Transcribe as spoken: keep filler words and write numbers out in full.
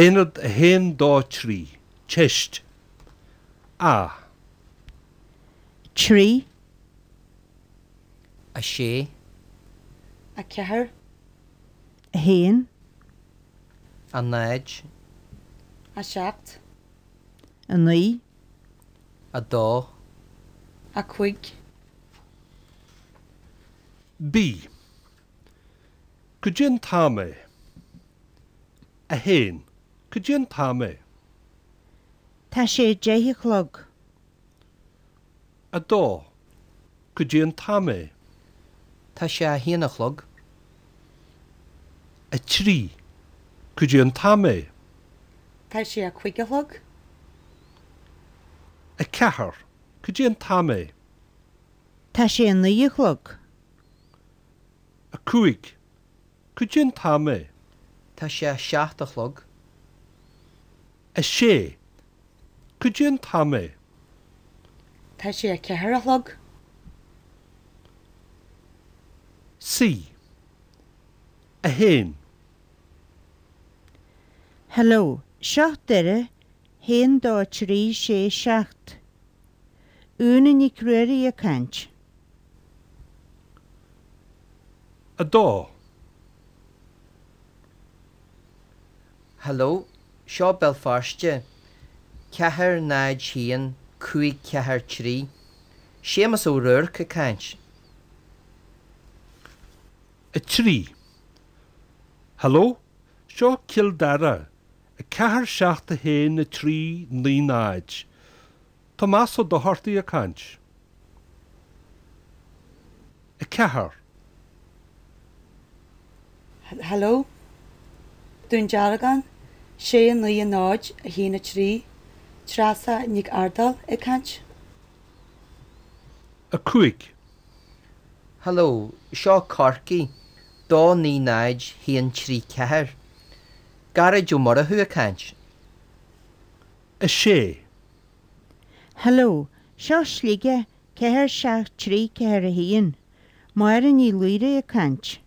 Aonad a haon dó trí. Teist. A. trí, a sé, a ceathair, a haon, a náid, a seacht, a naoi, a dó, a cúig, B. Cad é an t-am é? A haon. Cad é an t-am é? Tá sé deich a chlog. A dó. Cad é an t-am é? Tá sé a haon a chlog. A trí. Cad é an t-am é? Tá sé a cúig a chlog. A ceathair. Cad é an t-am é? Tá sé a naoi a chlog. A cúig. Cad é an t-am é? Tá sé a seacht a chlog. A sé. Cad é an t-am é? Tá sé a ceathair a chlog. C. A haon. Hello, seo Doire, haon dó trí sé seacht. Úna Nic Ruairí ag caint. A dó. Hello, seo Béal Feirste, ceathair náid haon cúig ceathair trí. Séamus Ó Ruairc ag caint. A trí. Hello, seo Cill Dara, a ceathair seacht a haon a trí naoi náid. Tomás Ó Dochartaigh ag caint. A ceathair. Hello, Dún Dealgan, sé a naoi a náid a haon a trí, Treasa Nic Ardail ag caint. A cúig. Hello, seo Corcaigh, dó naoi náid haon trí ceathair. Gearóid Ó Murchú ag caint. A sé. Hello, seo Sligeach, ceathair seacht trí ceathair a haon. Máire Ní Laoire ag caint.